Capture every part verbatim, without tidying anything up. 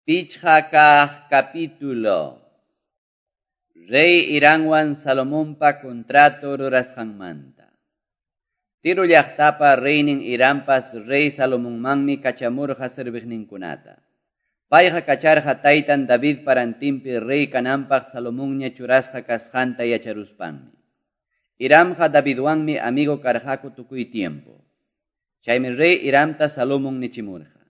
Pichqa kaq capítulo. Rey Hiramwan Salomonpa contrato rurasqanmanta. Tiro llaqtapa reynin Hirampas rey Salomonmanmi kachamurqa serviqninkunata. Payqa kacharqa taytan Davidpa rantinpi rey kananpaq Salomonña churasqa kasqanta yacharuspanmi. Hiramqa Davidwanmi amigo karqaku tukuy tiempo. Chaymi rey Hiramta Salomon nichimurqa: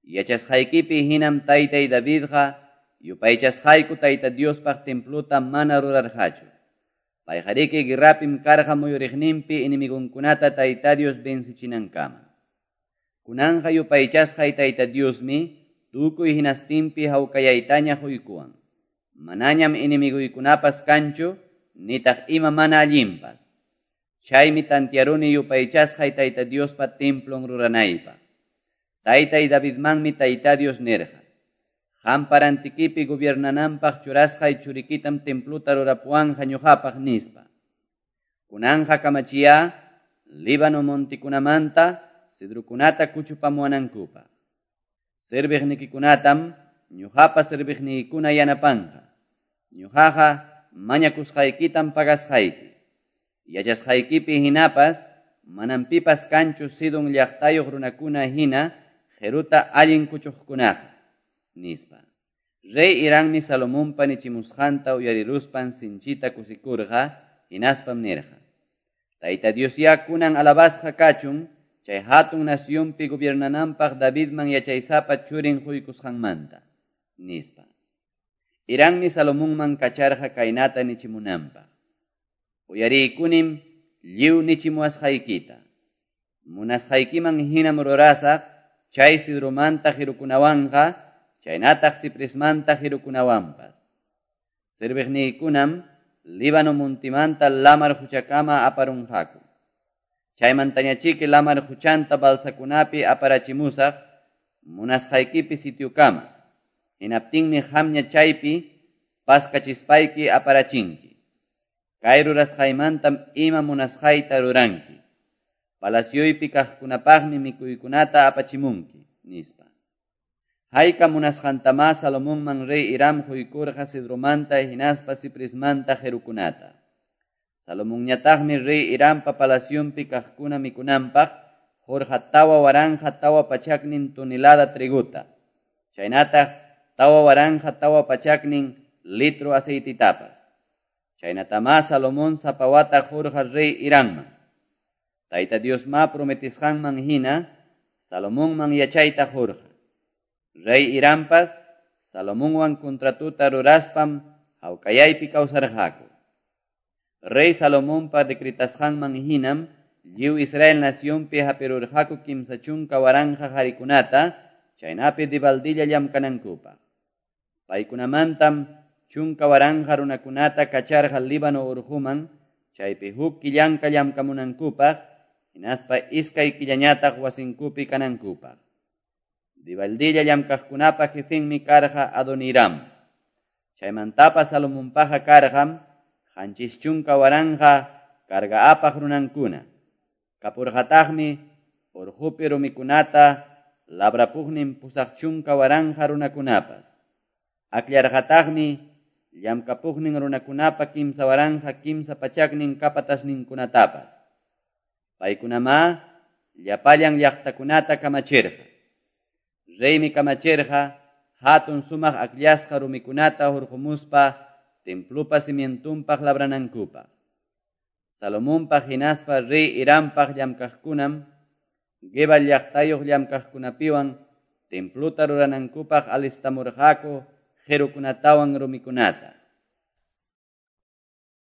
Yachasqaykipi hinam taytay Davidqa yupaychasqayku Tayta Diospaq templuta mana rurarqachu. Payqariki guerrapim karqa muyuriqninpi enemigonkunata Tayta Dios vencichinankama. Kunanqa yupaychasqay Tayta Diosmi tukuy hinastinpi hawkayaytaña quykuwan. Manañam enemiguykunapas kanchu, nitaq ima mana allinpas. Chaymi tantiaruni yupaychasqay Tayta Diospa templon ruranaypaq. Taytay Davidmanmi Tayta Dios nirqa: Qampa rantikipi gobiernananpaq churasqay churikitam templuta rurapuwanqa ñuqapaq, nispa. Kunanqa kamachiya Líbano montikunamanta cedrokunata kuchupamuwanankupaq. Serviqnikikunatam ñuqapa serviqniykuna yanapanqa. Ñuqaqa mañakusqaykitam pagasqayki. Yachasqaykipi hinapas manam pipas kanchu Sidon llaqtayuq runakuna hina qiruta allin kuchuqkunaqa, nispa. Rey Hirammi Salomonpa nichimusqanta uyariruspan sinchita kusikurqa, hinaspam nirqa: Tayta Diosyá kunan alabasqa kachun chay hatun nacionpi gobiernananpaq Davidman yachaysapa churin quykusqanmanta, nispa. Hirammi Salomonman kacharqa kaynata nichimunanpaq: Uyariykunim lliw nichimuwasqaykita. Munasqaykiman hinam rurasaq chay cedromanta qirukunawanqa, chaynataq cipresmanta qirukunawanpas. Serviqniykunam Líbano montimanta lamar quchakama aparunqaku. Chaymantañachiki lamar quchanta balsakunapi aparachimusaq munasqaykipi sitiokama. Hinaptinmi qamña chaypi paskachispayki aparachinki. Kay rurasqaymantam ima munasqayta ruranki. Palacioypi kaqkunapaqmi mikuykunata apachimunki, nispa. Hayka munasqantamá Salomonman rey Hiram quykurqa cedromanta hinaspa cipresmanta qirukunata. Salomonñataqmi rey Hirampa palacionpi kaqkuna mikunanpaq qurqa tawa waranqa tawa pachaknin tonelada trigota, chaynataq tawa waranqa tawa pachaknin litro aceititapas. Chaynatamá Salomón sapa wata qurqa rey Hiramman. Tayta Diosma prometisqanman hina Salomonman yachayta qurqa. Rey Hirampas Salomonwan contratuta ruraspam hawkayaypi kawsarqaku. Rey Salomonpa decretasqanman hinam lliw Israel nacionpi hapirurqaku kimsa chunka waranqa qarikunata, chaynapi dibaldilla llamkanankupaq. Paykunamantam chunka waranqa runakunata kacharqa Líbano urquman, chaypi huk killanka llamkamunankupaq, hinaspa iskay killañataq wasinkupi kanankupaq. Dibaldilla llamkaqkunapa jefenmi karqa Adoniram. Chaymantapas Salomonpaqa karqam qanchis chunka waranqa carga apaq runankuna. Kapurqataqmi urqupi rumikunata labrapuqnin pusaq chunka waranqa runakunapas. Akllarqataqmi llamkapuqnin runakunapa kimsa waranqa kimsa pachaknin kapatasninkunatapas. Paykunamá llapallan llaqtakunata kamachirqa. Reymi kamachirqa hatun sumaq akllasqa rumikunata hurqumuspa templupa cimientunpaq labranankupaq. Salomonpaq hinaspa rey Hirampaq llamkaqkunam Gebal llaqtayuq llamkaqkunapiwan templuta ruranankupaq alistamurqaku qirukunatawan rumikunata.